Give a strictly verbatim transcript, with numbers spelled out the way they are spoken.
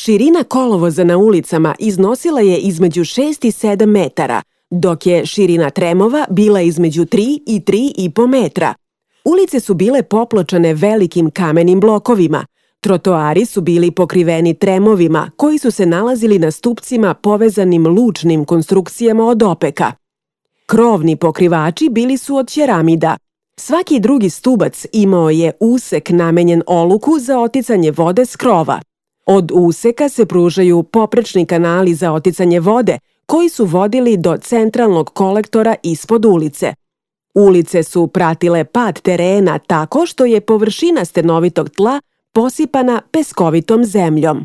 Širina kolovoza na ulicama iznosila je između šest i sedam metara, dok je širina tremova bila između tri i tri i po metra. Ulice su bile popločane velikim kamenim blokovima. Trotoari su bili pokriveni tremovima koji su se nalazili na stupcima povezanim lučnim konstrukcijama od opeka. Krovni pokrivači bili su od ćeramida. Svaki drugi stubac imao je usek namenjen oluku za oticanje vode s krova. Od useka se pružaju poprečni kanali za oticanje vode koji su vodili do centralnog kolektora ispod ulice. Ulice su pratile pad terena tako što je površina stenovitog tla posipana peskovitom zemljom.